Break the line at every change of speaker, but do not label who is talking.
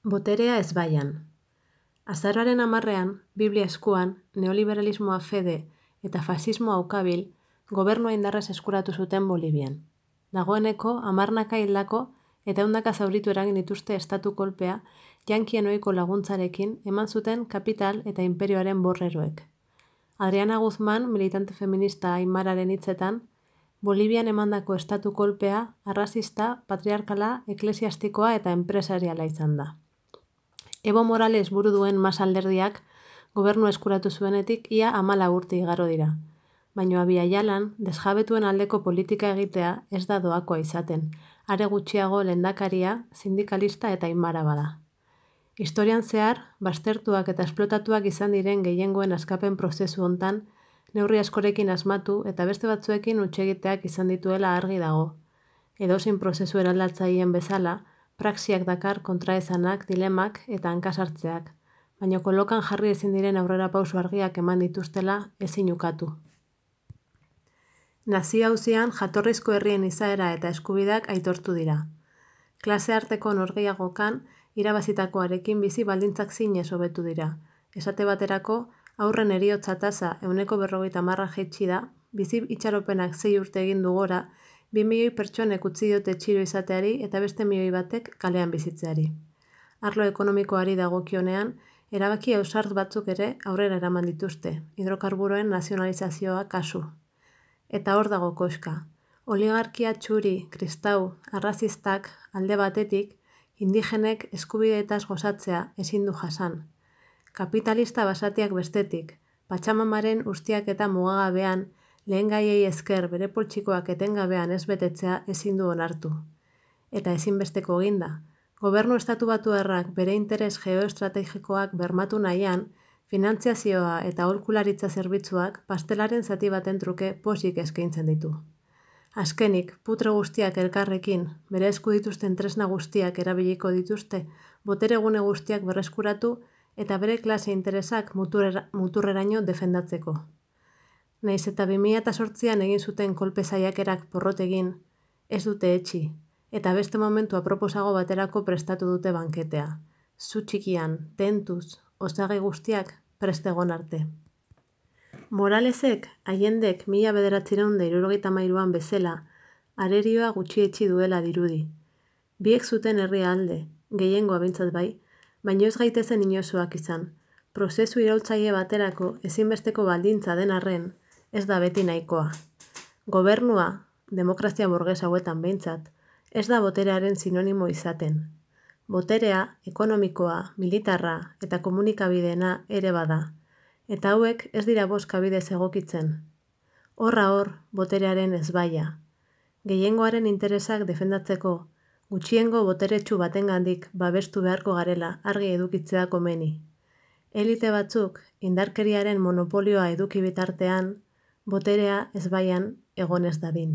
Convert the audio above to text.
Boterea ezbaian. Azaroaren 10ean, Biblia eskuan, neoliberalismoa fede eta fasismoa ukabil, gobernua indarrez eskuratu zuten Bolivian. Dagoeneko, 10 hildako eta 100 zauritu eragin dituzte estatu kolpea, jankien ohiko laguntzarekin eman zuten kapital eta inperioaren borreroek. Adriana Guzmán, militante feminista aimararen hitzetan, Bolivian emandako estatu kolpea arrazista, patriarkala, eklesiastikoa eta enpresariala izan da. Evo Morales buru duen Mas alderdiak gobernu eskuratu zuenetik ia 14 urte igaro dira. Baina Abia Yalan, desjabetuen aldeko politika egitea ez da doakoa izaten, are gutxiago lehendakaria, sindikalista eta aimara bada. Historian zehar, baztertuak eta esplotatuak izan diren gehiengoen askapen prozesu hontan, neurri askorekin asmatu eta beste batzuekin hutsegiteak izan dituela argi dago. Edozein prozesu eraldatzaileen bezala, praxiak dakar kontraesanak, dilemak eta hankasartzeak, baina kolokan jarri ezin diren aurrera pauso argiak eman dituztela ezin ukatu. Nazio auzian jatorrizko herrien izaera eta eskubideak aitortu dira. Klase arteko norgehiagokan irabazitakoarekin bizi baldintzak zinez hobetu dira. Esate baterako, haurren heriotza tasa 50% jaitsi da, bizi itxaropenak 6 urte egin du gora, 2 milioi pertsonek utzi diote txiro izateari eta beste 1 milioi batek kalean bizitzeari. Arlo ekonomikoari dagokionean, erabaki ausart batzuk ere aurrera eraman dituzte, hidrokarburoen nazionalizazioa kasu. Eta hor dago koska. Oligarkia txuri, kristau, arrazistak alde batetik, indigenek eskubideetaz gozatzea ezin du jasan. Kapitalista basatiak bestetik, Patxamamaren ustiak eta mugagabean, lehen gaiei esker bere poltsikoak etengabean ez betetzea ezin du onartu. Eta ezinbesteko eginda, gobernu estatubatuarrak bere interes geoestrategikoak bermatu nahian, finantziazioa eta aholkularitza zerbitzuak pastelaren zati baten truke pozik eskaintzen ditu. Azkenik, putre guztiak elkarrekin, bere esku dituzten tresna guztiak erabiliko dituzte, botere gune guztiak berreskuratu eta bere klase interesak muturreraino defendatzeko. Nahiz eta 2008an egin zuten kolpe saiakerak porrot egin, ez dute etxi, eta beste momentu aproposago baterako prestatu dute banketea. Zu txikian, tentuz, osagai guztiak prest egon arte. Moralesek, Allendek 1973an bezala, arerioa gutxietsi duela dirudi. Biek zuten herria alde, gehiengoa behintzat bai, baina ez gaitezen inozoak izan. Prozesu iraultzaile baterako ezinbesteko baldintza den arren, ez da beti nahikoa. Gobernua, demokrazia burges hauetan behintzat, ez da boterearen sinonimo izaten. Boterea, ekonomikoa, militarra eta komunikabideena ere bada, eta hauek ez dira bozkabidez egokitzen. Horra hor, boterearen ezbaia. Gehiengoaren interesak defendatzeko, gutxiengo boteretsu batengandik babestu beharko garela argi edukitzea komeni. Elite batzuk, indarkeriaren monopolioa eduki bitartean, boterea ezbaian egon ez dadin.